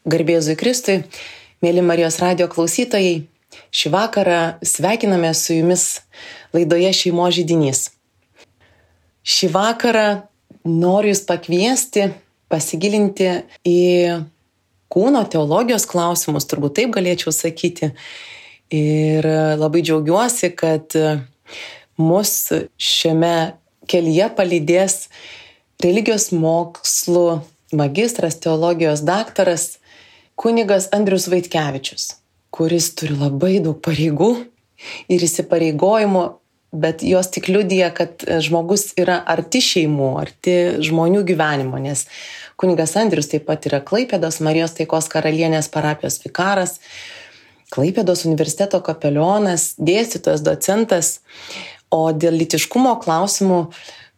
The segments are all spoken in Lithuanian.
Garbė Jėzui Kristui, mėly Marijos radijo klausytojai, šį vakarą sveikiname su jumis laidoje Šeimos židinys. Šį vakarą noriu jūs pakviesti, pasigilinti į kūno teologijos klausimus, turbūt taip galėčiau sakyti. Ir labai džiaugiuosi, kad mus šiame kelyje palydės religijos mokslų magistras, teologijos daktaras, kunigas Andrius Vaitkevičius, kuris turi labai daug pareigų ir įsipareigojimų, bet jos tik liudija, kad žmogus yra arti šeimų, arti žmonių gyvenimo, nes kunigas Andrius taip pat yra Klaipėdos Marijos Taikos karalienės parapijos vikaras, Klaipėdos universiteto kapelionas, dėstytojas, docentas, o dėl lytiškumo klausimų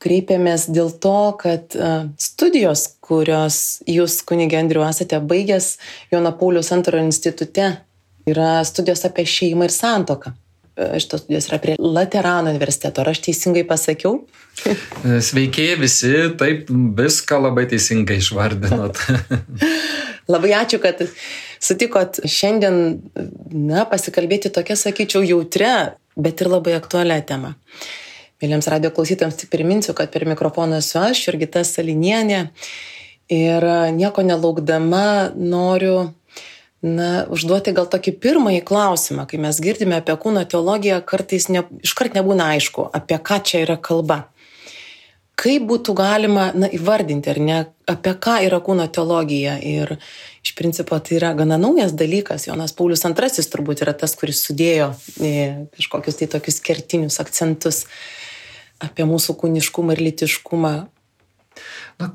kreipėmės dėl to, kad studijos, kurios jūs, kunige Andriu, esate baigęs Jono Pauliaus II institute, yra studijos apie šeimą ir santuoką. Šitos studijos yra prie Laterano universiteto. Ar aš teisingai pasakiau? Sveiki visi, taip viską labai teisingai išvardinot. Labai ačiū, kad sutikot šiandien pasikalbėti tokia, sakyčiau, jautria, bet ir labai aktualią temą. Mėlyms radio klausytojams tik priminsiu, kad per mikrofoną esu aš, Jurgita Salinienė, ir nieko nelaukdama noriu užduoti gal tokį pirmąjį klausimą, kai mes girdime apie kūno teologiją, kartais iškart nebūna aišku, apie ką čia yra kalba. Kaip būtų galima įvardinti, ar ne, apie ką yra kūno teologija? Ir iš principo tai yra gana naujas dalykas. Jonas Paulius II turbūt yra tas, kuris sudėjo kažkokius tai tokius kertinius akcentus apie mūsų kūniškumą ir lytiškumą.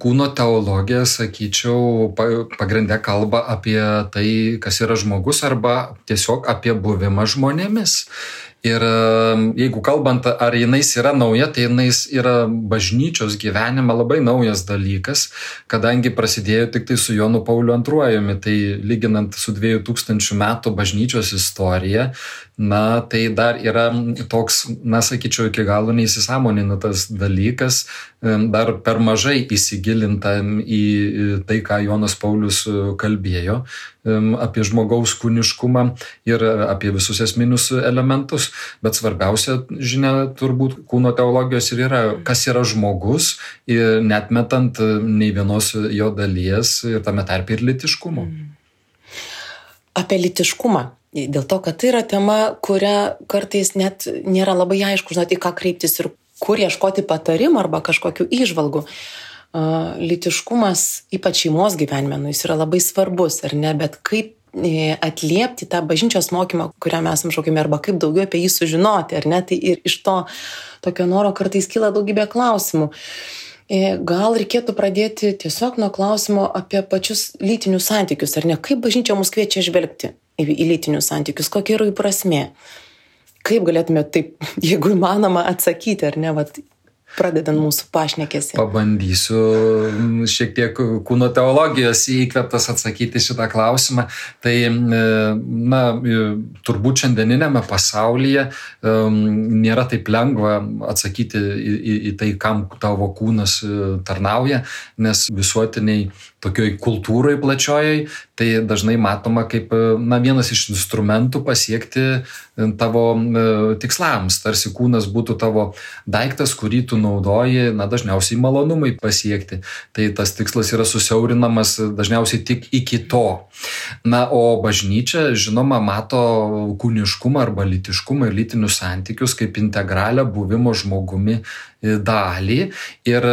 Kūno teologija, sakyčiau, pagrinde kalba apie tai, kas yra žmogus, arba tiesiog apie buvimą žmonėmis. Ir jeigu kalbant, ar jinais yra nauja, tai jinais yra bažnyčios gyvenime labai naujas dalykas, kadangi prasidėjo tik tai su Jonu Pauliu II, tai lyginant su 2000 metų bažnyčios istorija, tai dar yra toks, sakyčiau, iki galo neįsisąmonintas dalykas, dar per mažai įsigilinta į tai, ką Jonas Paulius kalbėjo apie žmogaus kūniškumą ir apie visus esminius elementus. Bet svarbiausia žinia turbūt kūno teologijos ir yra, kas yra žmogus, neatmetant nei vienos jo dalies ir tame tarpe ir lytiškumo. Apie lytiškumą. Dėl to, kad tai yra tema, kuria kartais net nėra labai aišku, į ką kreiptis ir kur ieškoti patarimų arba kažkokių įžvalgų. Lytiškumas, ypač šeimos gyvenime, jis yra labai svarbus, ar ne, bet kaip atliepti tą bažnyčios mokymą, kurią mes esame šaukiami, arba kaip daugiau apie jį sužinoti, ar ne, tai ir iš to tokio noro kartais kyla daugybė klausimų. Gal reikėtų pradėti tiesiog nuo klausimo apie pačius lytinius santykius, ar ne, kaip bažnyčia mus kviečia žvelgti į lytinius santykius, kokia yra jų prasmė. Kaip galėtume taip, jeigu įmanoma, atsakyti, ar ne, pradedant mūsų pašnekesį. Pabandysiu šiek tiek kūno teologijos įkvėptas atsakyti šitą klausimą. Tai, turbūt šiandieninėme pasaulyje nėra taip lengva atsakyti į tai, kam tavo kūnas tarnauja, nes visuotiniai tokioj kultūrai plačiojai, tai dažnai matoma kaip vienas iš instrumentų pasiekti tavo tikslams. Tarsi kūnas būtų tavo daiktas, kurį tu naudoji, dažniausiai malonumai pasiekti. Tai tas tikslas yra susiaurinamas dažniausiai tik iki to. O bažnyčia, žinoma, mato kūniškumą arba lytiškumą ir lytinius santykius kaip integralią buvimo žmogumi dalį. Ir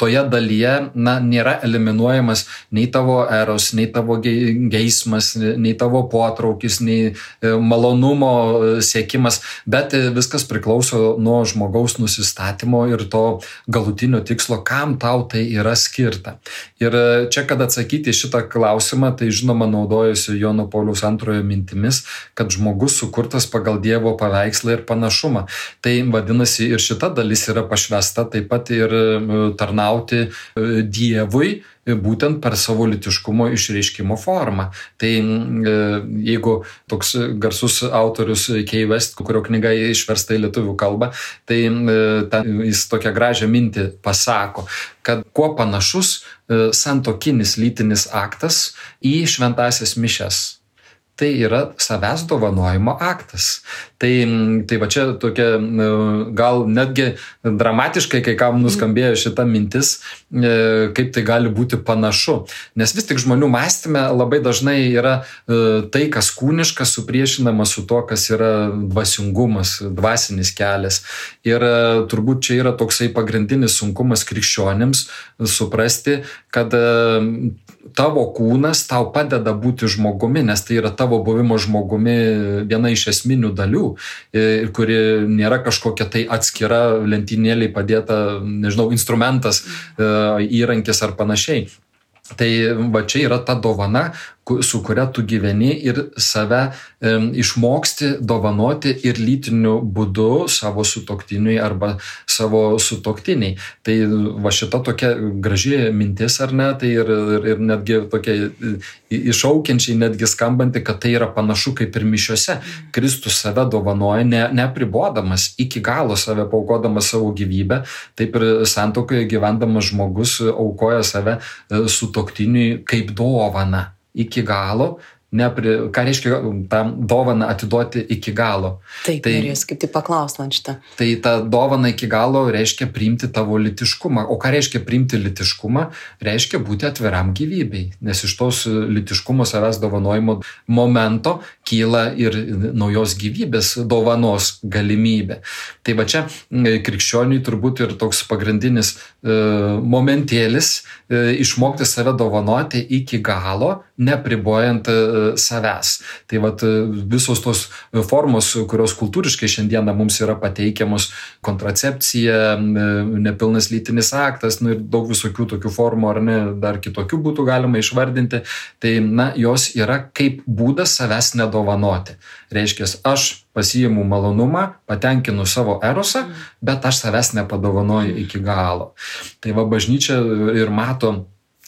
toje dalyje nėra eliminuojamas nei tavo eros, nei tavo geismas, nei tavo potraukis, nei malonumo siekimas, bet viskas priklauso nuo žmogaus nusistatymo ir to galutinio tikslo, kam tau tai yra skirta. Ir čia, kad atsakyti šitą klausimą, tai žinoma naudojusi Jono Pauliaus II mintimis, kad žmogus sukurtas pagal Dievo paveikslą ir panašumą. Tai vadinasi, ir šita dalis yra pašvesta taip pat ir tarnauti Dievui būtent per savo lytiškumo išreiškimo formą. Tai jeigu toks garsus autorius Kay West, kurio knyga išversta į lietuvių kalbą, tai jis tokią gražią mintį pasako, kad kuo panašus santuokinis lytinis aktas į šventąsias mišias. Tai yra savęs dovanojimo aktas. Tai va čia tokia gal netgi dramatiškai, kai kam nuskambėjo šita mintis, kaip tai gali būti panašu. Nes vis tik žmonių mąstyme labai dažnai yra tai, kas kūniška, supriešinama su to, kas yra dvasingumas, dvasinis kelias. Ir turbūt čia yra toksai pagrindinis sunkumas krikščionims suprasti, kad tavo kūnas tau padeda būti žmogumi, nes tai yra tavo buvimo žmogumi viena iš esminių dalių, kuri nėra kažkokia tai atskira lentynėlė padėta, nežinau, instrumentas, įrankis ar panašiai. Tai va čia yra ta dovana, su kuria tu gyveni ir save išmoksti dovanoti ir lytiniu būdu savo sutuoktiniui arba savo sutuoktiniai. Tai va šita tokia graži mintis, ar ne, tai ir netgi tokia iššaukiančiai netgi skambanti, kad tai yra panašu kaip ir mišiose. Kristus save dovanoja, neapribodamas, iki galo save paaukodamas savo gyvybę, taip ir santuokoje gyvendamas žmogus aukoja save sutuoktiniui kaip dovana. Iki galo, ką reiškia tą dovaną atiduoti iki galo. Taip, norėjus kaip tai paklaust man šitą. Tai ta dovana iki galo reiškia priimti tavo lytiškumą. O ką reiškia priimti lytiškumą? Reiškia būti atviram gyvybei. Nes iš tos lytiškumo savęs dovanojimo momento kyla ir naujos gyvybės dovanos galimybė. Tai va čia krikščioniui turbūt ir toks pagrindinis momentėlis išmokti save dovanoti iki galo, nepribojant savęs. Tai vat visos tos formos, kurios kultūriškai šiandieną mums yra pateikiamos, kontracepcija, nepilnas lytinis aktas, ir daug visokių tokių formų, ar ne, dar kitokių būtų galima išvardinti, tai jos yra kaip būdas savęs nedovanoti. Reiškia, aš pasiimu malonumą, patenkinu savo erosą, bet aš savęs nepadovanoju iki galo. Tai va bažnyčia ir mato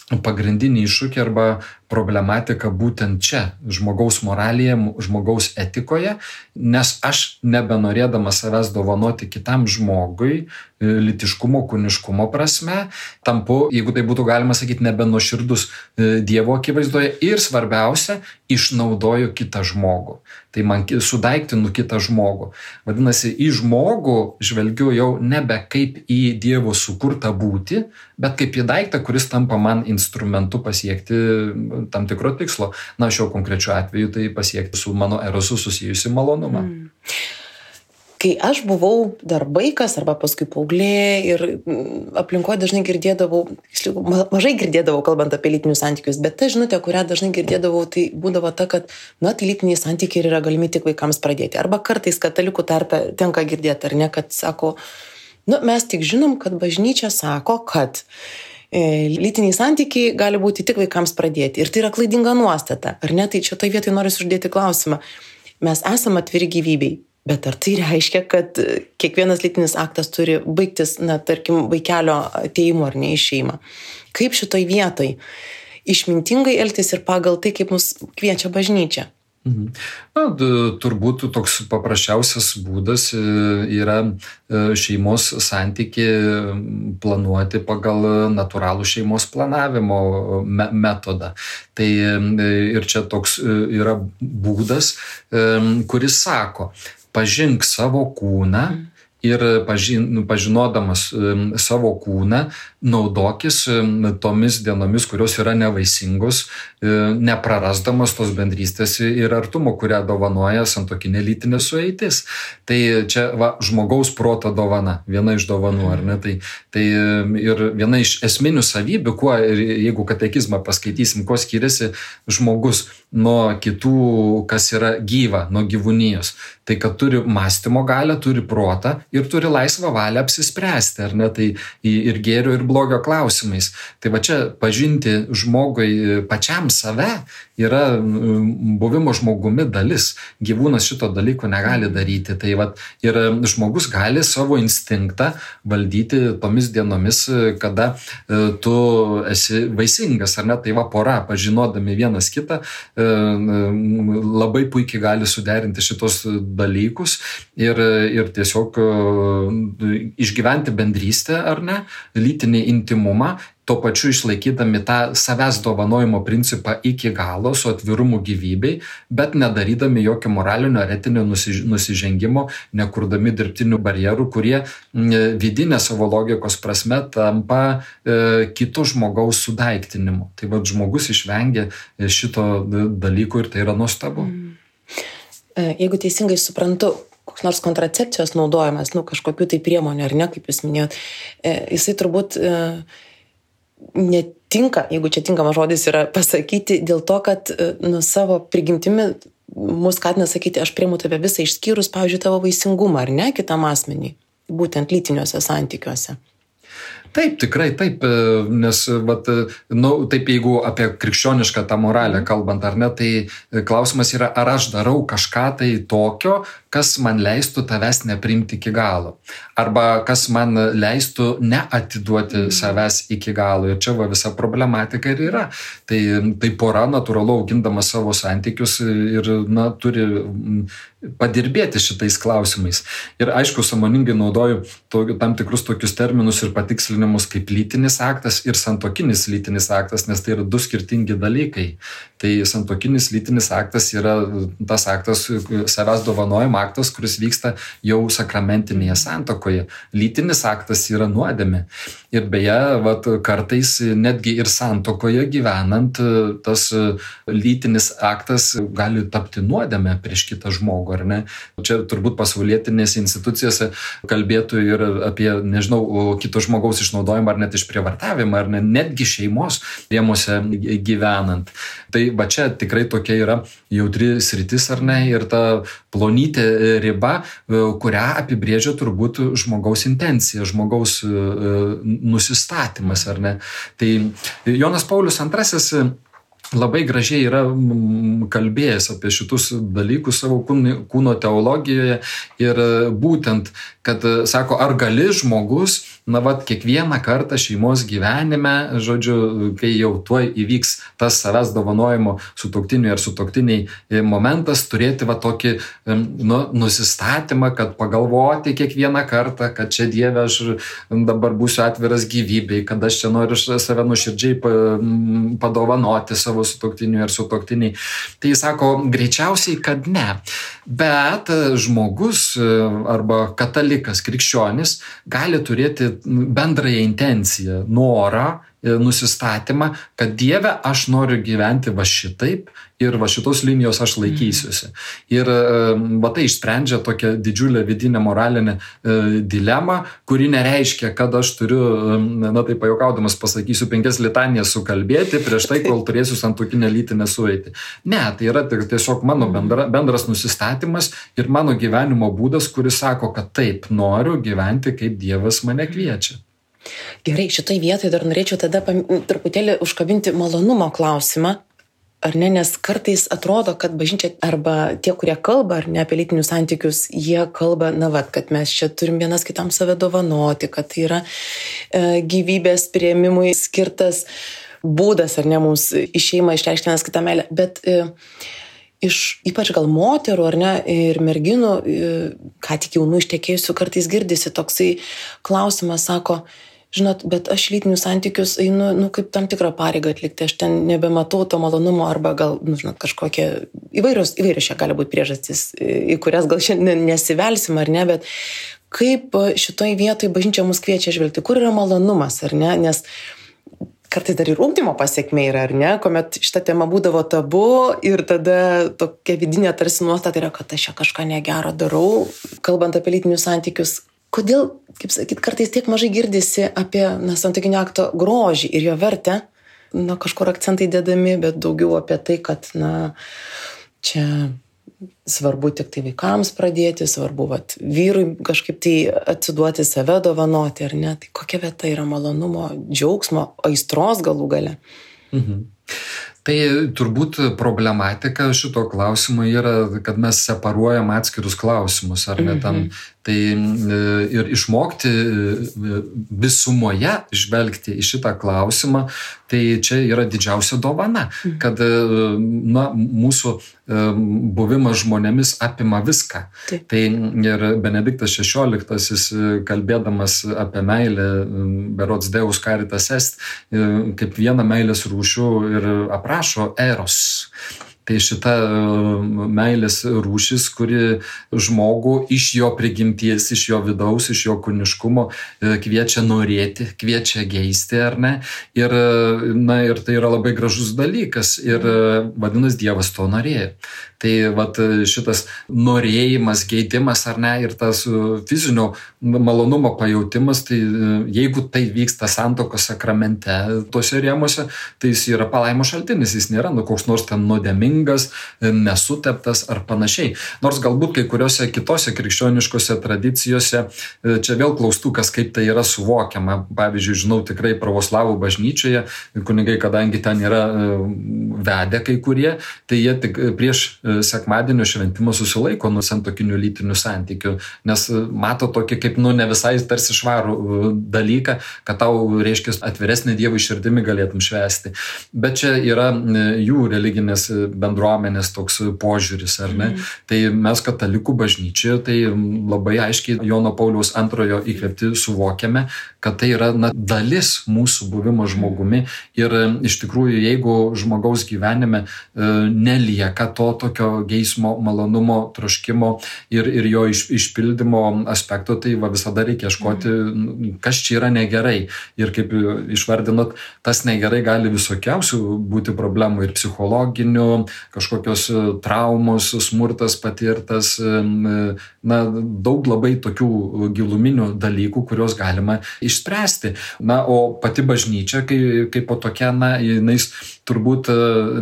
pagrindinį iššūkį arba problematika būtent čia, žmogaus moralėje, žmogaus etikoje, nes aš nebenorėdamas savęs dovanoti kitam žmogui, lytiškumo, kūniškumo prasme, tampu, jeigu tai būtų galima sakyti, nebenuoširdus Dievo akivaizdoje ir svarbiausia, išnaudoju kitą žmogų. Tai man sudaiktinu kitą žmogų. Vadinasi, į žmogų žvelgiu jau nebe kaip į Dievo sukurtą būtį, bet kaip į daiktą, kuris tampa man instrumentu pasiekti tam tikro tikslo. Na, šiuo konkrečiu atveju tai pasiekti su mano erosu susijusi malonumą. Kai aš buvau dar vaikas arba paskui paauglė ir aplinkoje dažnai girdėdavau, mažai girdėdavau kalbant apie lytinius santykius, bet ta žinutė, kurią dažnai girdėdavau, tai būdavo ta, kad tai lytiniai santykiai yra galimi tik vaikams pradėti. Arba kartais katalikų tarpe tenka girdėti, ar ne, kad sako, mes tik žinom, kad bažnyčia sako, kad lytiniai santykiai gali būti tik vaikams pradėti. Ir tai yra klaidinga nuostata, ar ne? Tai čia toj vietoj noriu uždėti klausimą. Mes esame atviri gyvybei, bet ar tai reiškia, kad kiekvienas lytinis aktas turi baigtis, tarkim, vaikelio atėjimu ar ne į šeimą? Kaip šitoj vietoj išmintingai elgtis ir pagal tai, kaip mus kviečia bažnyčia? Turbūt toks paprasčiausias būdas yra šeimos santykį planuoti pagal natūralų šeimos planavimo metodą. Tai ir čia toks yra būdas, kuris sako, pažink savo kūną ir pažinodamas savo kūną, naudokis tomis dienomis, kurios yra nevaisingos, neprarasdamas tos bendrystės ir artumo, kurią dovanoja santuokinė lytinė sueitis. Tai čia žmogaus proto dovana, viena iš dovanų, ar ne? Tai ir viena iš esminių savybių, jeigu katekizmą paskaitysim, kuo skiriasi žmogus nuo kitų, kas yra gyva, nuo gyvūnijos. Tai kad turi mąstymo galią, turi protą ir turi laisvą valią apsispręsti, ar ne, tai ir gėrio, ir blogio klausimais. Tai va čia pažinti žmogui pačiam save yra buvimo žmogumi dalis. Gyvūnas šito dalyko negali daryti. Tai va, ir žmogus gali savo instinktą valdyti tomis dienomis, kada tu esi vaisingas, ar ne, tai va pora, pažinodami vienas kitą, labai puikiai gali suderinti šitos dalykus ir tiesiog išgyventi bendrystę, ar ne, lytinį intimumą, tuo pačiu išlaikydami tą savęs dovanojimo principą iki galo su atvirumu gyvybei, bet nedarydami jokio moralinio ar etinio nusižengimo, nekurdami dirbtinių barjerų, kurie vidinė savo logikos prasme tampa kito žmogaus sudaiktinimu. Tai va, žmogus išvengia šito dalyko ir tai yra nuostabu. Jeigu teisingai suprantu, koks nors kontracepcijos naudojimas, kažkokių tai priemonių, ar ne, kaip jūs minėjot, jisai turbūt netinka, jeigu čia tinkamas žodis yra pasakyti, dėl to, kad savo prigimtimi mus skatina sakyti, aš priimu tave visą išskyrus, pavyzdžiui, tavo vaisingumą, ar ne, kitam asmeniui, būtent lytiniuose santykiuose. Taip, tikrai taip, nes taip jeigu apie krikščionišką tą moralę kalbant, ar ne, tai klausimas yra, ar aš darau kažką tai tokio, kas man leistų tavęs nepriimti iki galo. Arba kas man leistų neatiduoti savęs iki galo. Ir čia visa problematika ir yra. Tai pora natūralu augindama savo santykius ir turi padirbėti šitais klausimais. Ir aišku, sąmoningai naudoju tam tikrus tokius terminus ir patikslinimus kaip lytinis aktas ir santuokinis lytinis aktas, nes tai yra du skirtingi dalykai. Tai santuokinis lytinis aktas yra tas aktas, savęs dovanojimo aktas, kuris vyksta jau sakramentinėje santuokoje. Lytinis aktas yra nuodėmė. Ir beje, kartais netgi ir santuokoje gyvenant tas lytinis aktas gali tapti nuodėmė prieš kitą žmogų, ar ne? Čia turbūt pasaulietinėse institucijose kalbėtų ir apie, kito žmogaus išnaudojimą ar net išprievartavimą, ar netgi šeimos rėmuose gyvenant. Tai va čia tikrai tokia yra jautri sritis, ar ne, ir ta plonytė riba, kurią apibrėžia turbūt žmogaus intencija, žmogaus nusistatymas, ar ne. Tai Jonas Paulius II labai gražiai yra kalbėjęs apie šitus dalykus savo kūno teologijoje ir būtent, kad sako, ar gali žmogus, kiekvieną kartą šeimos gyvenime, kai jau tuoj įvyks tas savęs dovanojimo sutuoktiniui ar sutuoktiniai momentas, turėti tokį nusistatymą, kad pagalvoti kiekvieną kartą, kad čia Dieve aš dabar būsiu atviras gyvybei, kad aš čia noriu save nuoširdžiai padovanoti savo sutuoktiniui ar sutuoktiniai. Tai jis sako, greičiausiai, kad ne. Bet žmogus arba katalikas, krikščionis gali turėti bendrąją intenciją, norą, nusistatymą, kad Dieve aš noriu gyventi va šitaip ir va šitos linijos aš laikysiuosi. Ir tai išsprendžia tokią didžiulę vidinę moralinę dilemą, kuri nereiškia, kad aš turiu, tai pajuokaudamas pasakysiu, 5 litanijas sukalbėti prieš tai, kol turėsiu santuokinę lytinę sueitį. Ne, tai yra tiesiog mano bendras nusistatymas ir mano gyvenimo būdas, kuris sako, kad taip noriu gyventi, kaip Dievas mane kviečia. Gerai, šitoj vietoj dar norėčiau tada truputėlį užkabinti malonumo klausimą, ar ne, nes kartais atrodo, kad bažnyčia arba tie, kurie kalba, ar ne, apie lytinius santykius, jie kalba, kad mes čia turim vienas kitam save dovanoti, kad tai yra gyvybės priėmimui skirtas būdas, ar ne, mums į šeimą išreikšti vienas kitą meilę, bet iš ypač gal moterų, ar ne, ir merginų, ką tik jaunų ištekėjusių, kartais girdisi toksai klausimas, sako, žinot, bet aš lytinius santykius einu, kaip tam tikrą pareigą atlikti, aš ten nebematau to malonumo, arba gal, kažkokie įvairios čia gali būti priežastys, į kurias gal šiandien nesivelsim, ar ne, bet kaip šitoj vietoj bažnyčia mus kviečia žvelgti, kur yra malonumas, ar ne, nes kartais dar ir ugdymo pasiekmė yra, ar ne, kuomet šita tema būdavo tabu ir tada tokia vidinė tarsi nuostata yra, kad aš čia kažką negero darau, kalbant apie lytinius santykius. Kodėl, kaip sakyt, kartais tiek mažai girdisi apie santuokinio akto grožį ir jo vertę, kažkur akcentai dedami, bet daugiau apie tai, kad, čia svarbu tik tai vaikams pradėti, svarbu vyrui kažkaip tai atsiduoti, save dovanoti, ar ne? Tai kokia vieta yra malonumo, džiaugsmo, aistros galų gale? Tai turbūt problematika šito klausimo yra, kad mes separuojam atskirus klausimus, ar ne tam. Tai ir išmokti visumoje žvelgti į šitą klausimą, tai čia yra didžiausia dovana, kad mūsų buvimas žmonėmis apima viską. Taip. Tai ir Benediktas XVI, kalbėdamas apie meilę, berods Deus caritas est, kaip vieną meilės rūšių ir aprašo eros. Tai šita meilės rūšis, kuri žmogų iš jo prigimties, iš jo vidaus, iš jo kūniškumo kviečia norėti, kviečia geisti, ar ne? Ir tai yra labai gražus dalykas ir vadinasi, Dievas to norėjo. Tai šitas norėjimas, geidimas, ar ne, ir tas fizinio malonumo pajautimas, tai jeigu tai vyksta santuokos sakramente, tuose rėmuose, tai jis yra palaimo šaltinis, jis nėra koks nors ten nuodėmingas, nesuteptas ar panašiai. Nors galbūt kai kuriuose kitose krikščioniškose tradicijose, čia vėl klaustukas, kaip tai yra suvokiama. Pavyzdžiui, žinau tikrai pravoslavų bažnyčioje, kunigai, kadangi ten yra vedę kai kurie, tai jie tik prieš sekmadienio šventimą susilaiko nuo santuokinių lytinių santykių, nes mato tokį kaip ne visai tarsi švarų dalyką, kad tau reiškia atviresnį Dievui širdimi galėtum švęsti. Bet čia yra jų religinės bendruomenės toks požiūris, ar ne? Tai mes katalikų bažnyčioje tai labai aiškiai Jono Pauliaus II įkvėpti suvokiame, kad tai yra dalis mūsų buvimo žmogumi ir iš tikrųjų, jeigu žmogaus gyvenime nelieka to tokio geismo, malonumo, troškimo ir jo išpildymo aspekto, tai visada reikia ieškoti, kas čia yra negerai. Ir kaip išvardinot, tas negerai gali visokiausių būti problemų ir psichologinių, kažkokios traumos, smurtas patirtas, daug labai tokių giluminių dalykų, kuriuos galima išspręsti. O pati bažnyčia, kaip po tokia, jinais turbūt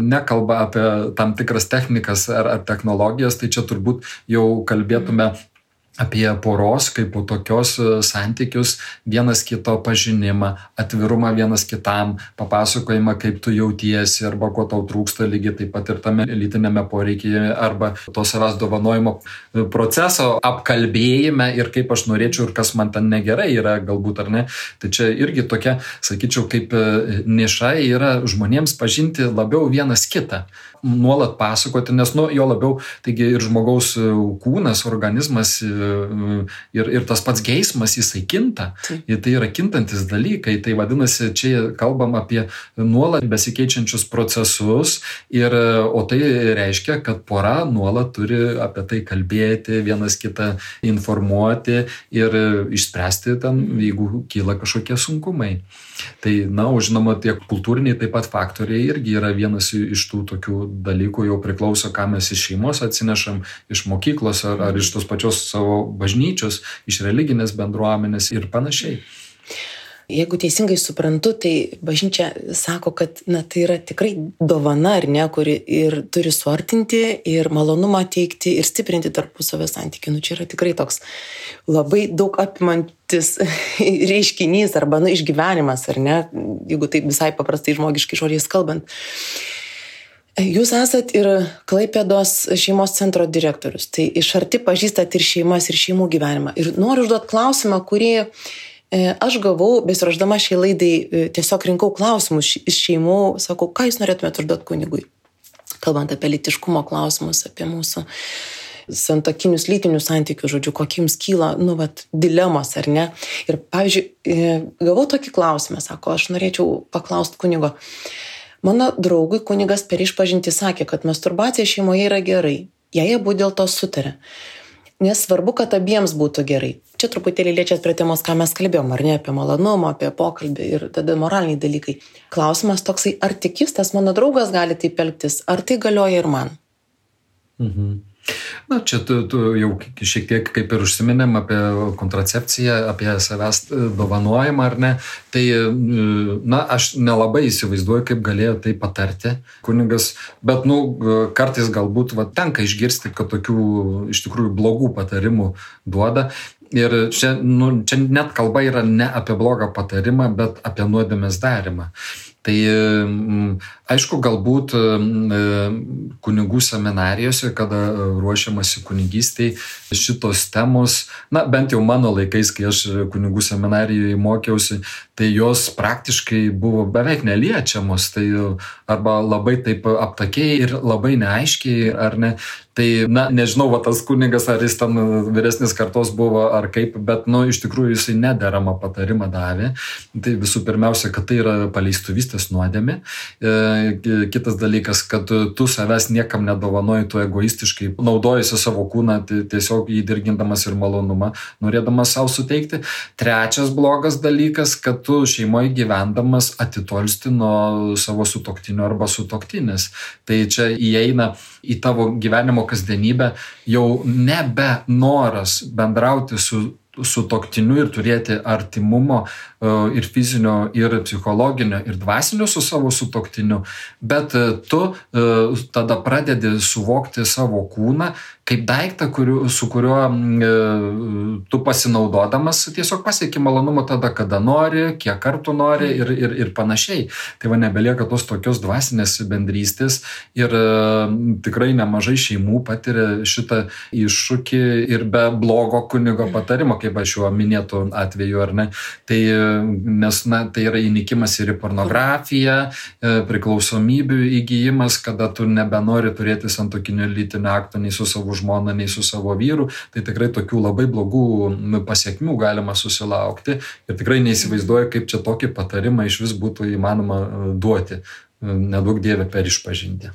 nekalba apie tam tikras technikas ar technologijas, tai čia turbūt jau kalbėtume apie poros kaip po tokios santykius, vienas kito pažinimą, atvirumą vienas kitam, papasakojimą, kaip tu jautiesi arba ko tau trūksta, lygiai taip pat ir tame lytinėme poreikyje arba to savęs dovanojimo proceso apkalbėjime ir kaip aš norėčiau ir kas man ten negerai yra galbūt ar ne. Tai čia irgi tokia, sakyčiau, kaip niša yra žmonėms pažinti labiau vienas kitą, nuolat pasakoti, nes jo labiau, taigi ir žmogaus kūnas, organizmas ir tas pats geismas, jisai kinta. Ir tai yra kintantis dalykai. Tai vadinasi, čia kalbam apie nuolat besikeičiančius procesus, o tai reiškia, kad pora nuolat turi apie tai kalbėti, vienas kitą informuoti ir išspręsti ten, jeigu kyla kažkokie sunkumai. Tai, žinoma, tie kultūriniai taip pat faktoriai irgi yra vienas iš tų tokių dalykų, jau priklauso, ką mes iš šeimos atsinešam, iš mokyklos ar iš tos pačios savo bažnyčios, iš religinės bendruomenės ir panašiai. Jeigu teisingai suprantu, tai bažnyčia sako, kad tai yra tikrai dovana, ar ne, kuri ir turi suartinti, ir malonumą teikti, ir stiprinti tarpusavio santykį. Čia yra tikrai toks labai daug apimantis reiškinys arba išgyvenimas, ar ne, jeigu taip visai paprastai žmogiškai žodžiais kalbant. Jūs esat ir Klaipėdos šeimos centro direktorius, tai iš arti pažįstat ir šeimas, ir šeimų gyvenimą. Ir noriu užduoti klausimą, kurį aš gavau, besiruošdama šiai laidai, tiesiog rinkau klausimus iš šeimų, sakau, ką jūs norėtumėte užduoti kunigui, kalbant apie lytiškumo klausimus, apie mūsų santuokinius lytinius santykius, žodžiu, kokie jums kyla, dilemos, ar ne. Ir, pavyzdžiui, gavau tokį klausimą, sako, aš norėčiau paklausti kunigo. Mano draugui kunigas per išpažintį sakė, kad masturbacija šeimoje yra gerai, jei abu dėl to sutarė. Nes svarbu, kad abiems būtų gerai. Čia truputėlį liečiat prie temos, ką mes kalbėjom, ar ne, apie malonumą, apie pokalbį ir tada moraliniai dalykai. Klausimas toksai, ar tik jis, tas mano draugas gali taip elgtis, ar tai galioja ir man? Na, čia tu jau šiek tiek kaip ir užsiminėm apie kontracepciją, apie savęs dovanojimą, ar ne. Tai, na, aš nelabai įsivaizduoju, kaip galėjo tai patarti kunigas, bet, kartais galbūt tenka išgirsti, kad tokių iš tikrųjų blogų patarimų duoda. Ir čia net kalba yra ne apie blogą patarimą, bet apie nuodėmės darymą. Tai aišku, galbūt kunigų seminarijose, kada ruošiamasi kunigystei, šitos temos, bent jau mano laikais, kai aš kunigų seminarijoje mokiausi, tai jos praktiškai buvo beveik neliečiamos, tai arba labai taip aptakiai ir labai neaiškiai, ar ne. Tai, nežinau, tas kunigas, ar jis ten vyresnis kartos buvo, ar kaip, bet, iš tikrųjų jisai nederamą patarimą davė. Tai visų pirmiausia, kad tai yra paleistuvystės nuodėmė. Kitas dalykas, kad tu savęs niekam nedovanoji, tu egoistiškai naudojasi savo kūną, tiesiog jį dirgindamas ir malonumą, norėdamas savo suteikti. Trečias blogas dalykas, kad tu šeimoje gyvendamas atitolsti nuo savo sutuoktinio arba sutuoktinės. Tai čia įeina į tavo gyvenimo kasdienybę jau nebe noras bendrauti su sutuoktiniu ir turėti artimumo ir fizinio, ir psichologinio, ir dvasinio su savo sutuoktiniu, bet tu tada pradedi suvokti savo kūną kaip daiktą, su kuriuo tu pasinaudodamas tiesiog pasieki malonumą tada, kada nori, kiek kartų nori ir panašiai. Tai nebelieka tos tokios dvasinės bendrystės ir tikrai nemažai šeimų patiria šitą iššūkį ir be blogo kunigo patarimo, kaip aš šiuo minėtų atveju, ar ne. Tai, nes tai yra įnikimas ir į pornografiją, priklausomybių įgijimas, kada tu nebenori turėti santuokinio lytinio akto nei su savo žmona, nei su savo vyru, tai tikrai tokių labai blogų pasiekmių galima susilaukti ir tikrai neįsivaizduoju, kaip čia tokį patarimą iš vis būtų įmanoma duoti, neduok Dieve per išpažintį.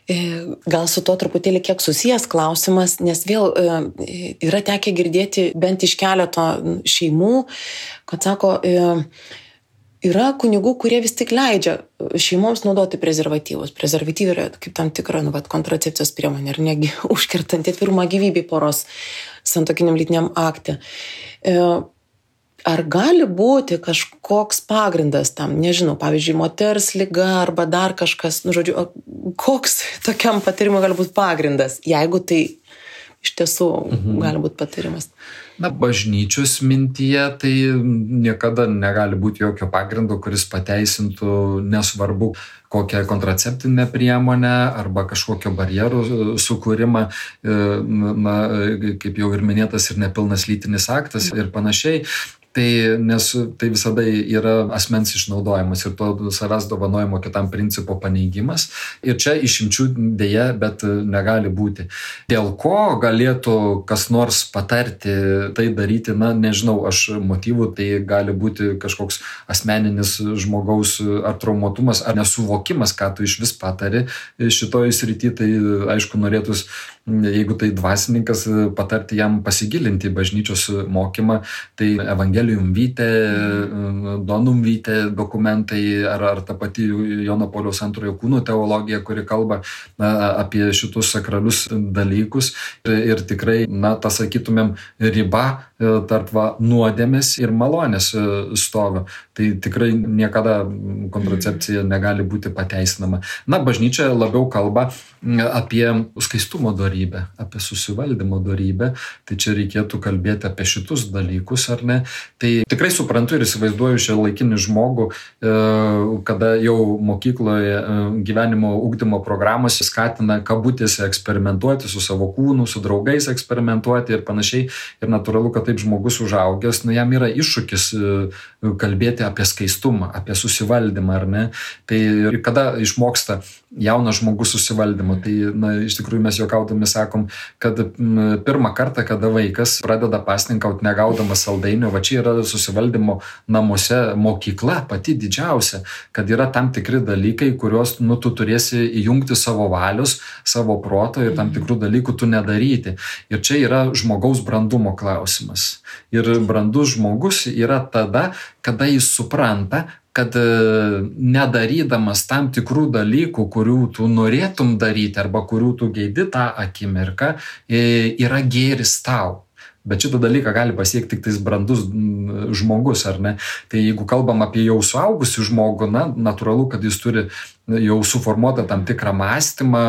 Gal su to truputėlį kiek susijęs klausimas, nes vėl yra tekę girdėti bent iš keleto šeimų, kad sako, yra kunigų, kurie vis tik leidžia šeimoms naudoti prezervatyvus. Prezervatyvai yra kaip tam tikra kontracepcijos priemonė ir negi užkertanti atvirumą gyvybei poros santuokiniam lytiniam akte. Ar gali būti kažkoks pagrindas tam, nežinau, pavyzdžiui, moters liga arba dar kažkas, koks tokiam patarimui gali būti pagrindas, jeigu tai iš tiesų gali būti patarimas? Bažnyčios mintyje tai niekada negali būti jokio pagrindo, kuris pateisintų nesvarbu kokią kontraceptinę priemonę arba kažkokio barjerų sukūrimą, kaip jau ir minėtas, ir nepilnas lytinis aktas ir panašiai. Nes tai visada yra asmens išnaudojimas ir to savęs dovanojimo kitam principo paneigimas. Ir čia išimčių dėja, bet negali būti. Dėl ko galėtų kas nors patarti tai daryti, nežinau, aš motyvų, tai gali būti kažkoks asmeninis žmogaus ar traumuotumas, ar nesuvokimas, ką tu iš vis patari šitoj srity, tai aišku norėtus, jeigu tai dvasininkas, patarti jam pasigilinti bažnyčios mokymą, tai Evangelium Vitae, Donum Vitae dokumentai ar ta pati Jono Pauliaus II kūnų teologija, kuri kalba apie šitus sakralius dalykus ir tikrai, ta sakytumėm, riba tarp nuodėmės ir malonės stovi. Tai tikrai niekada kontracepcija negali būti pateisinama. Bažnyčia labiau kalba apie skaistumo dorybę, apie susivaldymo dorybę, tai čia reikėtų kalbėti apie šitus dalykus, ar ne. Tai tikrai suprantu ir įsivaizduoju šią laikinį žmogų, kada jau mokykloje gyvenimo ugdymo programos skatina kabutėse eksperimentuoti su savo kūnu, su draugais eksperimentuoti ir panašiai. Ir natūralu, kad taip žmogus užaugęs, jam yra iššūkis kalbėti apie skaistumą, apie susivaldymą, ar ne. Tai kada išmoksta jaunas žmogus susivaldymą, tai iš tikrųjų mes juokaudami sakom, kad pirmą kartą, kada vaikas pradeda pasninkauti negaudamas saldainio, va čia yra susivaldymo namuose mokykla pati didžiausia, kad yra tam tikri dalykai, kuriuos tu turėsi įjungti savo valios, savo proto ir tam tikrų dalykų tu nedaryti. Ir čia yra žmogaus brandumo klausimas. Ir brandus žmogus yra tada, kada jis supranta, kad nedarydamas tam tikrų dalykų, kurių tu norėtum daryti arba kurių tu geidi tą akimirką, yra gėris tau. Bet šitą dalyką gali pasiekti tik tais brandus žmogus, ar ne? Tai jeigu kalbam apie jau suaugusių žmogų, natūralu, kad jis turi jau suformuotą tam tikrą mąstymą,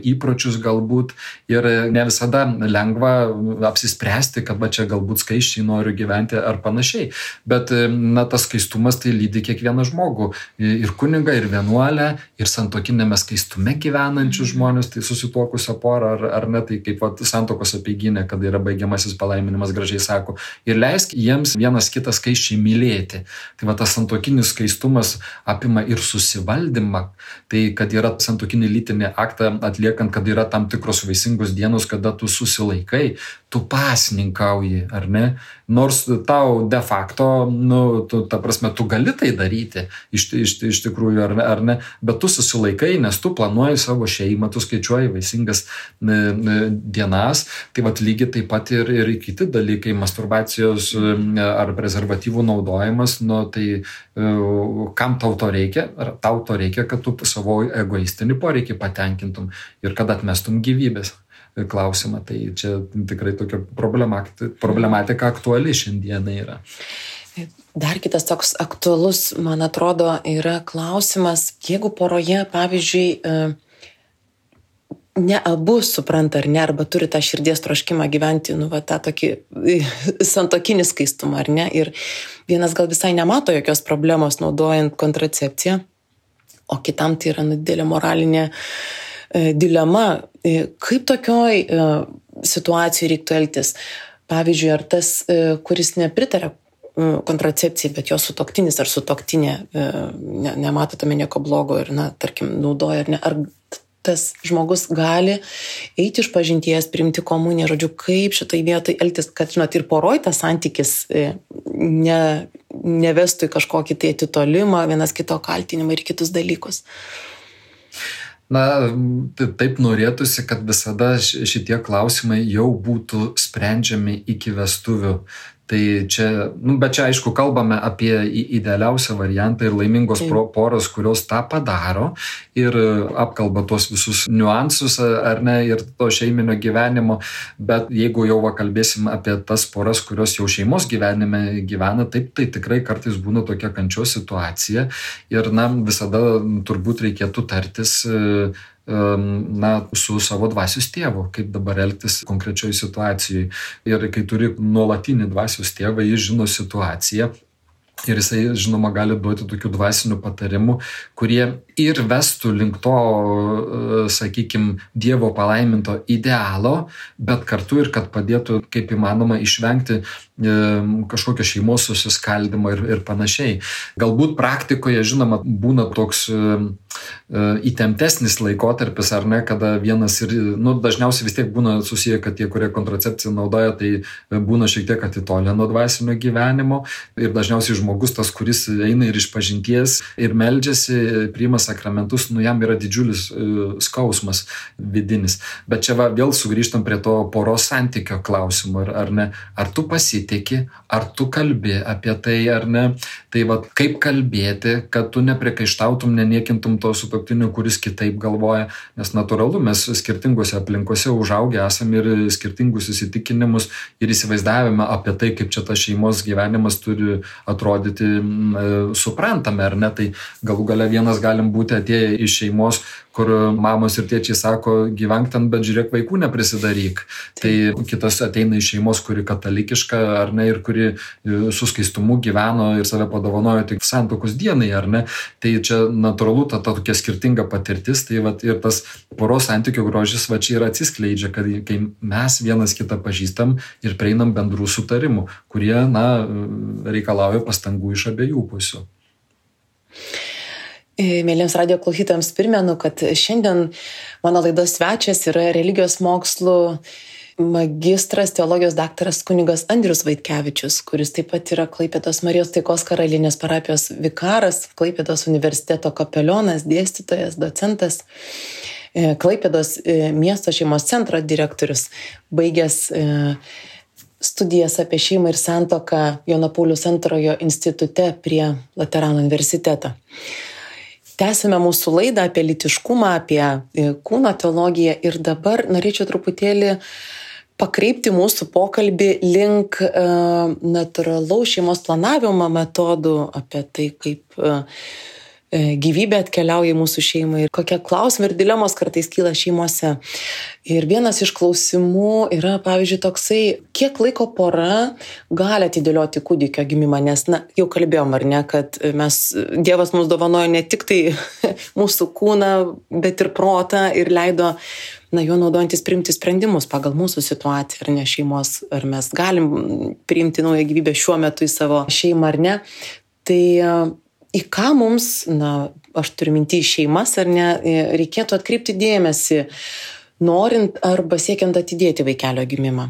įpročius galbūt ir ne visada lengva apsispręsti, kad čia galbūt skaisčiai noriu gyventi ar panašiai. Bet tas skaistumas tai lydi kiekvieną žmogų. Ir kunigą, ir vienuolę, ir santuokinėme skaistume gyvenančius žmonės, tai susituokusią porą ar ne, tai kaip santuokos apeiginė, kada yra baigiamasis palaiminimas, gražiai sako. Ir leisk jiems vienas kitą skaisčiai mylėti. Tai tas santuokinis skaistumas apima ir susivaldymą. Tai kad yra santuokinį lytinį aktą atliekant, kad yra tam tikros vaisingos dienos, kada tu susilaikai, tu pasninkauji, ar ne? Nors tau de facto, ta prasme, tu gali tai daryti iš tikrųjų, ar ne? Bet tu susilaikai, nes tu planuoji savo šeimą, tu skaičiuoji vaisingas dienas. Tai lygiai taip pat ir kiti dalykai, masturbacijos ar prezervatyvų naudojimas, tai kam tau to reikia? Ar tau to reikia, kad tu savo egoistinį poreikį patenkintum ir kad atmestum gyvybės klausimą. Tai čia tikrai tokia problematika aktuali šiandieną yra. Dar kitas toks aktualus, man atrodo, yra klausimas, jeigu poroje, pavyzdžiui, ne abu supranta ar ne, arba turi tą širdies troškimą gyventi, tą tokį santuokinį skaistumą, ar ne, ir vienas gal visai nemato jokios problemos naudojant kontracepciją, o kitam tai yra didelė moralinė dilema. Kaip tokioj situacijai reiktų elgtis? Pavyzdžiui, ar tas, kuris nepritaria kontracepcijai, bet jo sutuoktinis ar sutuoktinė nemato tame nieko blogo ir, tarkim, naudoja, ar ne, ar tas žmogus gali eiti iš pažinties, priimti komuniją, žodžiu, kaip šitai vietai elgtis, kad, ir poroj tas santykis nevestų į kažkokį tai atitolimą, vienas kito kaltinimą ir kitus dalykus. Taip norėtųsi, kad visada šitie klausimai jau būtų sprendžiami iki vestuvių. Tai čia, bet čia aišku kalbame apie idealiausią variantą ir laimingos poros, kurios tą padaro ir apkalba tos visus niuansus, ar ne, ir to šeiminio gyvenimo, bet jeigu jau kalbėsim apie tas poras, kurios jau šeimos gyvenime gyvena, taip, tai tikrai kartais būna tokia kančios situacija ir visada turbūt reikėtų tartis su savo dvasios tėvu, kaip dabar elgtis konkrečioje situacijoje. Ir kai turi nuolatinį dvasios tėvą, jis žino situaciją ir jisai, žinoma, gali duoti tokių dvasinių patarimų, kurie ir vestų link to, sakykime, Dievo palaiminto idealo, bet kartu ir kad padėtų, kaip įmanoma, išvengti kažkokio šeimos susiskaldimo ir panašiai. Galbūt praktikoje, žinoma, būna toks įtemptesnis laikotarpis, ar ne, kada vienas ir, dažniausiai vis tiek būna susiję, kad tie, kurie kontracepciją naudoja, tai būna šiek tiek atitolę nuo dvasinio gyvenimo ir dažniausiai žmogus tas, kuris eina ir iš pažinties ir meldžiasi, priima sakramentus, jam yra didžiulis skausmas vidinis. Bet čia vėl sugrįžtam prie to poros santykio klausimo, ar ne, ar tu pasitiki, ar tu kalbi apie tai, ar ne, tai kaip kalbėti, kad tu nepriekaištautum, neniekintum to sutuoktinio, kuris kitaip galvoja, nes natūralu, mes skirtingose aplinkose užaugę esame ir skirtingus įsitikinimus ir įsivaizdavimą apie tai, kaip čia tas šeimos gyvenimas turi atrodyti, suprantame, ar ne, tai galų gale vienas galim būti atėję iš šeimos, kur mamos ir tėčiai sako, gyvenk ten, bet žiūrėk, vaikų neprisidaryk. Tai kitas ateina iš šeimos, kuri katalikiška, ar ne, ir kuri su skaistumu gyveno ir save padovanojo tik santuokos dienai, ar ne. Tai čia natūralu, ta tokia skirtinga patirtis, tai ir tas poros santykio grožis čia ir atsiskleidžia, kad kai mes vienas kitą pažįstam ir prieinam bendrų sutarimų, kurie, reikalauja pastangų iš abiejų pusių. Mėlyms radijo klausytojams primenu, kad šiandien mano laidos svečias yra religijos mokslų magistras, teologijos daktaras kunigas Andrius Vaitkevičius, kuris taip pat yra Klaipėdos Marijos Taikos Karalienės parapijos vikaras, Klaipėdos universiteto kapelionas, dėstytojas, docentas, Klaipėdos miesto šeimos centro direktorius, baigęs studijas apie šeimą ir santuoką Jono Pauliaus II institute prie Laterano universiteto. Tęsime mūsų laidą apie lytiškumą, apie kūno teologiją ir dabar norėčiau truputėlį pakreipti mūsų pokalbį link natūralaus šeimos planavimo metodų, apie tai, kaip gyvybė atkeliauja į mūsų šeimą ir kokie klausimai ir dilemos kartais kyla šeimose. Ir vienas iš klausimų yra, pavyzdžiui, toksai, kiek laiko pora gali atidėlioti kūdikio gimimą, nes, jau kalbėjom, ar ne, kad Dievas mums dovanojo ne tik tai mūsų kūną, bet ir protą ir leido juo naudojantis priimti sprendimus pagal mūsų situaciją, ar ne šeimos, ar mes galim priimti naują gyvybę šiuo metu į savo šeimą, ar ne. Tai į ką mums, aš turiu minti šeimas, ar ne, reikėtų atkreipti dėmesį, norint arba siekiant atidėti vaikelio gimimą?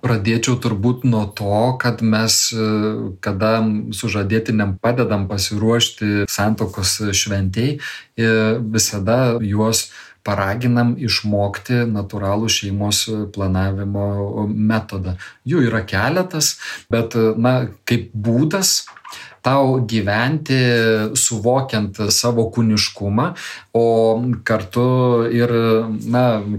Pradėčiau turbūt nuo to, kad mes, kada sužadėtiniam padedam pasiruošti santuokos šventei, visada juos paraginam išmokti natūralų šeimos planavimo metodą. Jų yra keletas, bet, kaip būdas tau gyventi suvokiant savo kūniškumą, o kartu ir,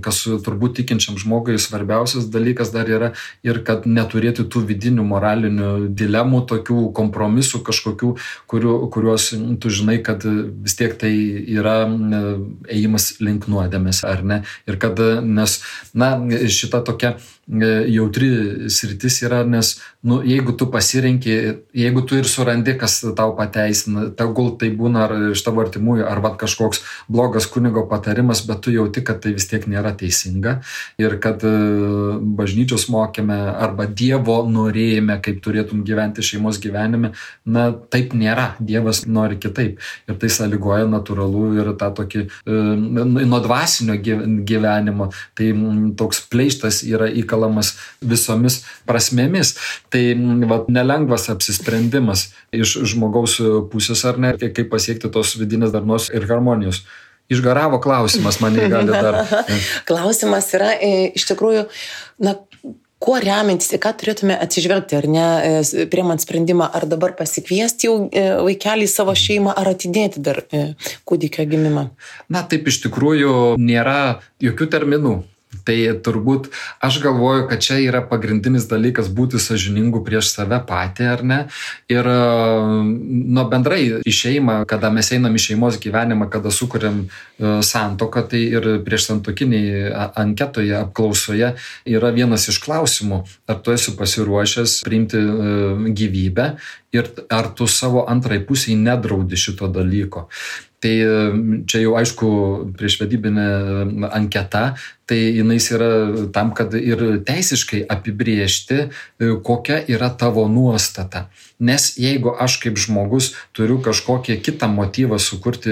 kas turbūt tikinčiam žmogui svarbiausias dalykas dar yra ir kad neturėti tų vidinių moralinių dilemų, tokių kompromisų kažkokių, kuriuos tu žinai, kad vis tiek tai yra ėjimas link nuodėmės, ar ne? Ir kad, nes, šita tokia jautri sritis yra, nes, jeigu tu pasirenki, jeigu tu ir surandi, kas tau pateisina, tegul tai būna ar iš tavo artimųjų, ar kažkoks blogas kunigo patarimas, bet tu jauti, kad tai vis tiek nėra teisinga ir kad bažnyčios mokėme arba Dievo norėjime, kaip turėtum gyventi šeimos gyvenime, taip nėra. Dievas nori kitaip. Ir tai sąlygoja natūralu ir tą tokį nuo dvasinio gyvenimo. Tai toks pleištas yra įkalamas visomis prasmėmis. Tai nelengvas apsisprendimas iš žmogaus pusės, ar ne, kaip pasiekti tos vidinės darnos ir harmonijos. Išgaravo klausimas, mane gali dar. Klausimas yra, iš tikrųjų, kuo remiantis, ką turėtume atsižvelgti, ar ne, priimant sprendimą, ar dabar pasikviesti jau vaikelį į savo šeimą, ar atidėti dar kūdikio gimimą? Taip iš tikrųjų nėra jokių terminų. Tai turbūt aš galvoju, kad čia yra pagrindinis dalykas būti sąžiningu prieš save patį, ar ne? Ir bendrai į šeimą, kada mes einam į šeimos gyvenimą, kada sukuriam santuoką, tai ir prieš santuokiniai anketoje, apklausoje yra vienas iš klausimų, ar tu esi pasiruošęs priimti gyvybę ir ar tu savo antrai pusiai nedraudi šito dalyko. Tai čia jau aišku priešvedybinė anketa, tai jinais yra tam, kad ir teisiškai apibrėžti, kokia yra tavo nuostata. Nes jeigu aš kaip žmogus turiu kažkokį kitą motyvą sukurti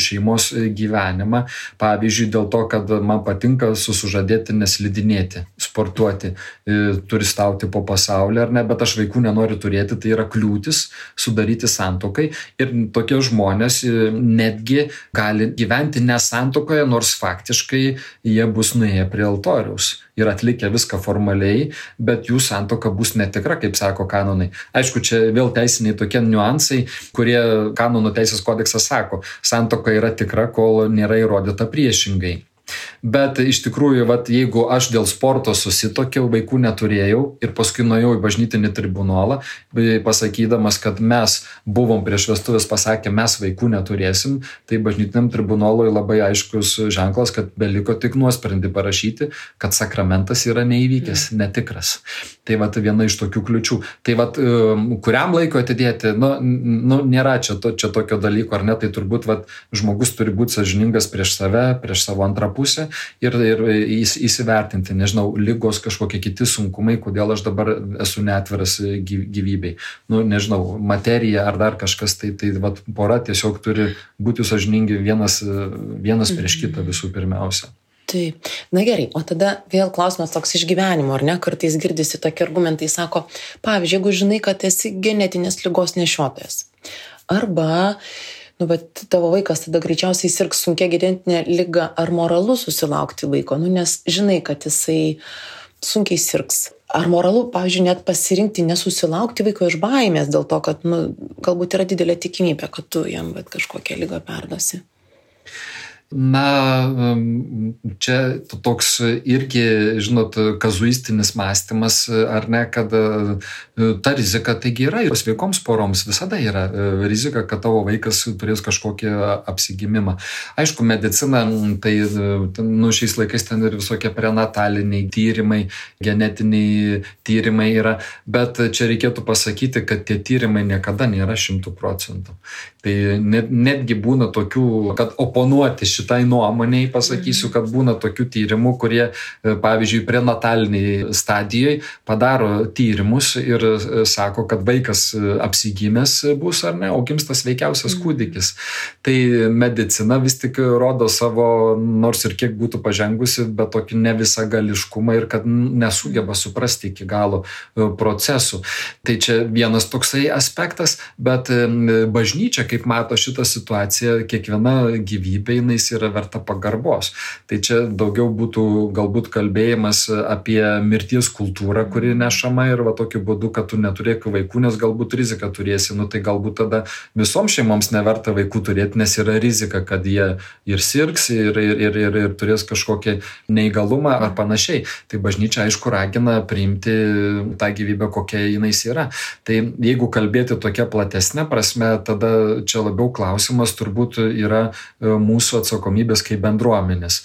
šeimos gyvenimą, pavyzdžiui, dėl to, kad man patinka su sužadėtine slidinėti, sportuoti, turistauti po pasaulį, ar ne, bet aš vaikų nenoriu turėti, tai yra kliūtis sudaryti santuokai. Ir tokie žmonės netgi gali gyventi ne santuokoje, nors faktiškai jie bus nuėję prie altoriaus ir atlikę viską formaliai, bet jų santuoka bus netikra, kaip sako kanonai. Aišku, čia vėl teisiniai tokie niuansai, kurie kanonų teisės kodeksas sako, santuoka yra tikra, kol nėra įrodyta priešingai. Bet iš tikrųjų, jeigu aš dėl sporto susitokiau, vaikų neturėjau ir paskui nuėjau į bažnytinį tribunolą, pasakydamas, kad mes buvom prieš vestuvės pasakę, mes vaikų neturėsim, tai bažnytiniam tribunolui labai aiškus ženklas, kad beliko tik nuosprendį parašyti, kad sakramentas yra neįvykęs, netikras. Tai viena iš tokių kliučių. Tai kuriam laiko atidėti, nėra čia tokio dalyko, ar ne, tai turbūt žmogus turi būti sąžiningas prieš save, prieš savo antrą pusę ir įsivertinti, nežinau, ligos kažkokie kiti sunkumai, kodėl aš dabar esu neatviras gyvybei. Nežinau, materija ar dar kažkas, tai pora tiesiog turi būti sąžiningi vienas prieš kitą visų pirmiausia. Taip. Gerai, o tada vėl klausimas toks iš gyvenimo, ar ne? Kartais girdisi tokie argumentai, sako, pavyzdžiui, jeigu žinai, kad esi genetinės ligos nešiotojas. Arba, bet tavo vaikas tada greičiausiai sirgs sunkia genetinė liga, ar moralu susilaukti vaiko, nes žinai, kad jisai sunkiai sirgs. Ar moralu, pavyzdžiui, net pasirinkti nesusilaukti vaiko iš baimės dėl to, kad galbūt yra didelė tikimybė, kad tu jam kažkokią ligą perduosi? Na, čia toks irgi, žinot, kazuistinis mąstymas, ar ne, kad ta rizika taigi yra ir sveikoms poroms visada yra rizika, kad tavo vaikas turės kažkokį apsigimimą. Aišku, medicina, tai šiais laikais ten ir visokie prenataliniai tyrimai, genetiniai tyrimai yra, bet čia reikėtų pasakyti, kad tie tyrimai niekada nėra 100%. Tai netgi būna tokių, kad oponuoti šitai nuomoniai pasakysiu, kad būna tokių tyrimų, kurie, pavyzdžiui, prenataliniai stadijoje padaro tyrimus ir sako, kad vaikas apsigimęs bus ar ne, o gims tas sveikiausias kūdikis. Tai medicina vis tik rodo savo, nors ir kiek būtų pažengusi, bet tokį ne visagališkumą ir kad nesugeba suprasti iki galo procesų. Tai čia vienas toksai aspektas, bet bažnyčia, kaip mato šitą situaciją, kiekviena gyvybė jinai yra verta pagarbos. Tai čia daugiau būtų galbūt kalbėjimas apie mirties kultūrą, kuri nešama ir tokiu būdu, kad tu neturėk vaikų, nes galbūt riziką turėsi. Tai galbūt tada visoms šeimoms neverta vaikų turėti, nes yra rizika, kad jie ir sirgs, ir turės kažkokį neįgalumą ar panašiai. Tai bažnyčia, aišku, ragina priimti tą gyvybę, kokia jinai yra. Tai jeigu kalbėti tokia platesnė prasme, tada čia labiau klausimas turbūt yra mūsų atsakomybės kaip bendruomenės.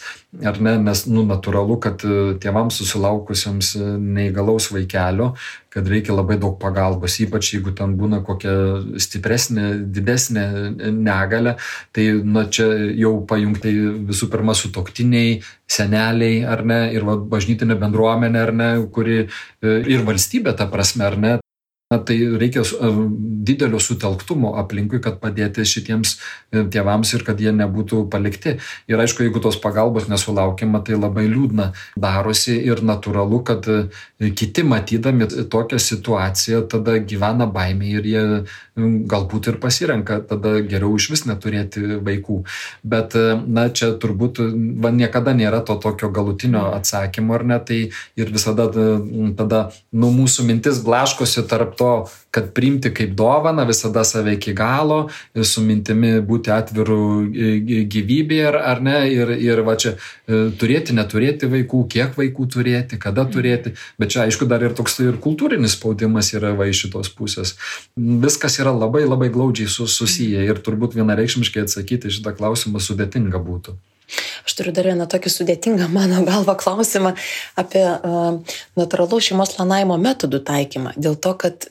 Ar ne? Nes natūralu, kad tėvams susilaukusiems neįgalaus vaikelio, kad reikia labai daug pagalbos, ypač jeigu ten būna kokia stipresnė, didesnė negalia, tai čia jau pajungtai visų pirma sutuoktiniai, seneliai, ar ne, ir bažnytinė bendruomenė, ar ne, kuri ir valstybė ta prasme, ar ne. Tai reikia didelio sutelktumo aplinkui, kad padėti šitiems tėvams ir kad jie nebūtų palikti. Ir aišku, jeigu tos pagalbos nesulaukiama, tai labai liūdna darosi ir natūralu, kad kiti matydami tokią situaciją tada gyvena baimė ir jie galbūt ir pasirenka tada geriau iš vis neturėti vaikų. Bet čia turbūt niekada nėra to tokio galutinio atsakymo, ar ne, tai ir visada tada mūsų mintis blaškosi tarp to, kad priimti kaip dovaną visada save iki galo, su mintimi būti atviru gyvybėje, ar ne, ir čia turėti, neturėti vaikų, kiek vaikų turėti, kada turėti, bet čia aišku dar ir toks ir kultūrinis spaudimas yra iš šitos pusės. Viskas yra labai labai glaudžiai susiję ir turbūt vienareikšmiškai atsakyti šitą klausimą sudėtinga būtų. Aš turiu dar vieną tokį sudėtingą mano galva klausimą apie natūralaus šeimos planavimo metodų taikymą. Dėl to, kad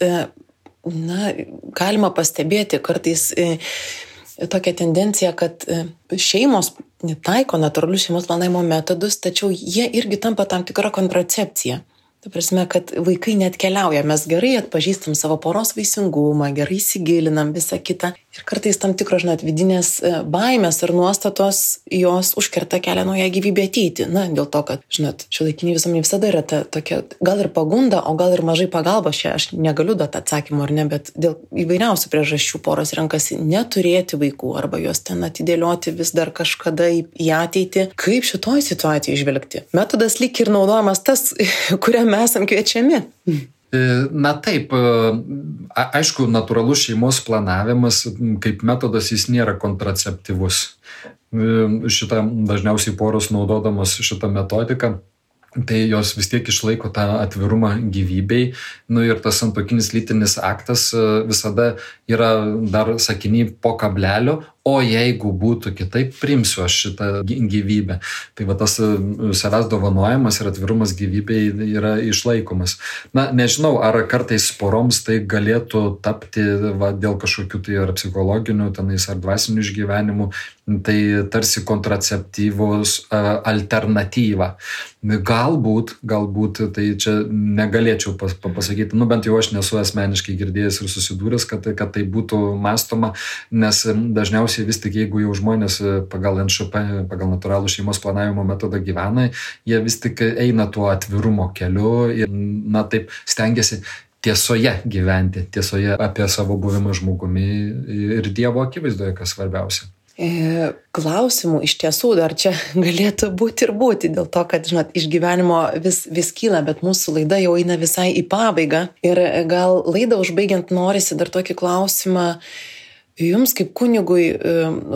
galima pastebėti kartais tokią tendenciją, kad šeimos taiko natūralius šeimos planavimo metodus, tačiau jie irgi tampa tam tikra kontracepcija. Ta prasme, kad vaikai net keliauja, mes gerai atpažįstam savo poros vaisingumą, gerai įsigilinam visą kitą. Ir kartais tam tikros, vidinės baimės ar nuostatos, jos užkerta kelią naują gyvybę ateiti. Dėl to, kad, šiuolaikiniai visuomenė visada yra tokia, gal ir pagunda, o gal ir mažai pagalbos. Aš negaliu duoti atsakymų ar ne, bet dėl įvairiausių priežasčių poros renkasi neturėti vaikų arba juos ten atidėlioti vis dar kažkada į ateitį. Kaip šitoj situacijai žvelgti? Metodas lyg ir naudojamas tas, kuriam mes esam kviečiami. Na taip, aišku, natūralus šeimos planavimas kaip metodas jis nėra kontraceptyvus. Šitą dažniausiai poros naudodamos šitą metodiką, tai jos vis tiek išlaiko tą atvirumą gyvybei. Ir tas santuokinis lytinis aktas visada yra dar sakiny po kablelio, o jeigu būtų kitaip, priimsiu aš šitą gyvybę. Tai tas savęs dovanojimas ir atvirumas gyvybei yra išlaikomas. Nežinau, ar kartais poroms tai galėtų tapti dėl kažkokių tai ar psichologinių, ar dvasinių išgyvenimų, tai tarsi kontraceptyvos alternatyva. Galbūt, tai čia negalėčiau pasakyti, bent jau aš nesu asmeniškai girdėjęs ir susidūręs, kad tai būtų mąstoma, nes dažniausiai vis tik, jeigu jau žmonės pagal NŠP, pagal natūralų šeimos planavimo metodą gyvena, jie vis tik eina tuo atvirumo keliu ir, taip stengiasi tiesoje gyventi, tiesoje apie savo buvimą žmogumi ir Dievo akivaizdoje, kas svarbiausia. Klausimų iš tiesų dar čia galėtų būti, dėl to, kad, žinot, iš gyvenimo vis kyla, bet mūsų laida jau eina visai į pabaigą. Ir gal laidą užbaigiant norisi dar tokį klausimą jums kaip kunigui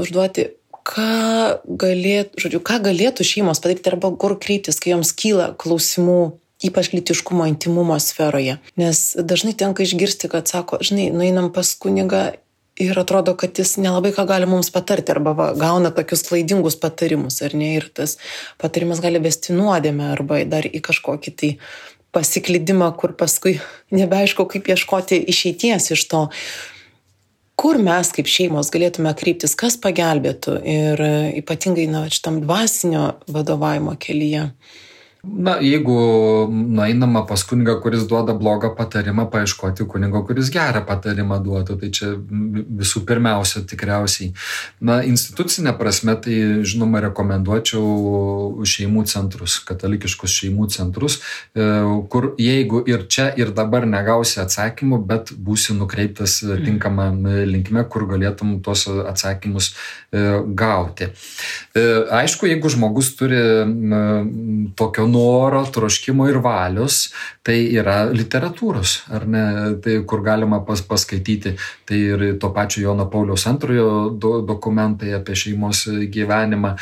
užduoti, ką galėtų šeimos padaryti arba kur kreiptis, kai joms kyla klausimų, ypač lytiškumo, intimumo sferoje. Nes dažnai tenka išgirsti, kad sako, žinai, nueinam pas kunigą ir atrodo, kad jis nelabai ką gali mums patarti arba gauna tokius klaidingus patarimus, ar ne? Ir tas patarimas gali vesti nuodėmę arba dar į kažkokį tai pasiklydimą, kur paskui nebeaišku, kaip ieškoti išeities iš to. Kur mes kaip šeimos galėtume kreiptis, kas pagelbėtų ir ypatingai šitam dvasinio vadovavimo kelyje? Na, jeigu nueinama pas kunigą, kuris duoda blogą patarimą, paieškoti kunigo, kuris gerą patarimą duotų, tai čia visų pirmiausia tikriausiai. Na, institucinė prasme, tai žinoma rekomenduočiau šeimų centrus, katalikiškus šeimų centrus, kur jeigu ir čia ir dabar negausi atsakymų, bet būsi nukreiptas tinkamą linkme, kur galėtum tuos atsakymus gauti. Aišku, jeigu žmogus turi tokio noro, troškimo ir valios, tai yra literatūros, ar ne, tai kur galima paskaityti, tai ir to pačio Jono Pauliaus II dokumentai apie šeimos gyvenimą,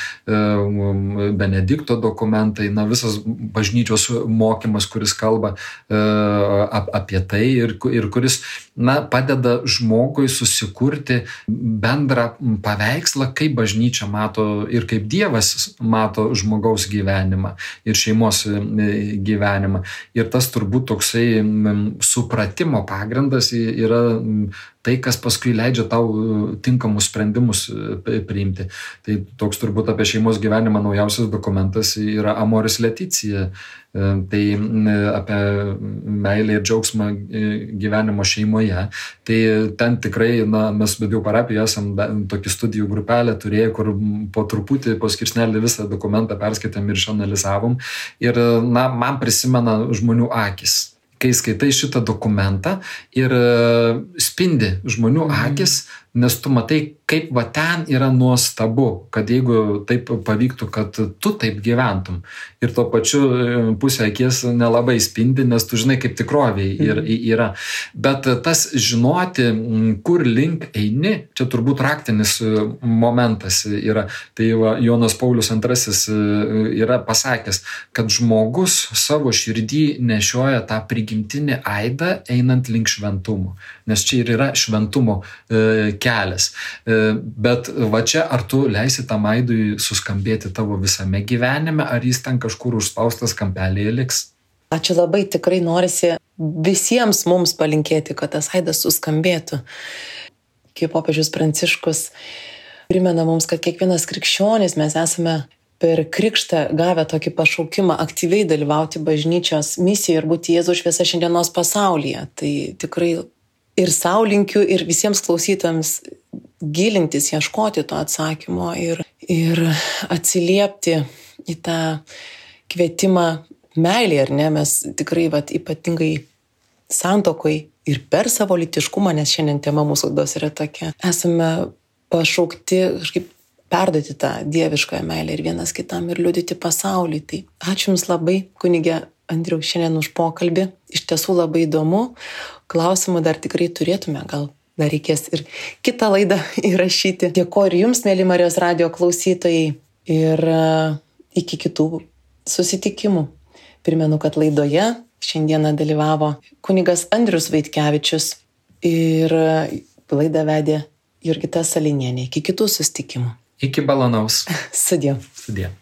Benedikto dokumentai, na, visas bažnyčios mokymas, kuris kalba apie tai ir kuris, na, padeda žmogui susikurti bendrą paveikslą, kaip bažnyčia mato ir kaip Dievas mato žmogaus gyvenimą ir šeimos gyvenimą. Ir tas turbūt toksai supratimo pagrindas yra tai, kas paskui leidžia tau tinkamus sprendimus priimti. Tai toks turbūt apie šeimos gyvenimą naujausias dokumentas yra Amoris Laetitia. Tai apie meilę ir džiaugsmą gyvenimo šeimoje. Tai ten tikrai, na, mes Bedijų parapijoje esam tokį studijų grupelę turėję, kur po truputį, po skirsnelį visą dokumentą perskaitėm ir išanalizavom. Ir, na, man prisimena žmonių akis, kai skaitai šitą dokumentą ir spindi žmonių akis, nes tu matai, kaip va ten yra nuostabu, kad jeigu taip pavyktų, kad tu taip gyventum. Ir tuo pačiu pusė akies nelabai spindi, nes tu žinai, kaip tikroviai yra. Bet tas žinoti, kur link eini, čia turbūt raktinis momentas yra. Tai va, Jonas Paulius II yra pasakęs, kad žmogus savo širdį nešioja tą prigimtinį aidą einant link šventumo. Nes čia ir yra šventumo kelias. Bet va čia, ar tu leisi tam aidui suskambėti tavo visame gyvenime, ar jis ten kažkur užspaustas kampelėje liks? Ačiū labai, tikrai norisi visiems mums palinkėti, kad tas aidas suskambėtų. Kaip popiežius Pranciškus primena mums, kad kiekvienas krikščionis mes esame per krikštą gavę tokį pašaukimą aktyviai dalyvauti bažnyčios misijoje ir būti Jėzaus šviesa šiandienos pasaulyje. Tai tikrai ir sau linkiu, ir visiems klausytojams gilintis, ieškoti to atsakymo ir atsiliepti į tą kvietimą meilį, ar ne? Mes tikrai ypatingai santuokoj ir per savo lytiškumą, nes šiandien tema mūsų laidos yra tokia, esame pašaukti kažkaip perduoti tą dievišką meilę ir vienas kitam ir liudyti pasaulį. Tai ačiū Jums labai, kunige Andriau, šiandien už pokalbį. Iš tiesų labai įdomu. Klausimų dar tikrai turėtume, gal dar reikės ir kitą laidą įrašyti. Dėkoju ir Jums, mėly Marijos radijo klausytojai, ir iki kitų susitikimų. Primenu, kad laidoje šiandieną dalyvavo kunigas Andrius Vaitkevičius ir laidą vedė Jurgita Salinienė. Iki kitų susitikimų. Iki malonaus. Sudie. Sudie.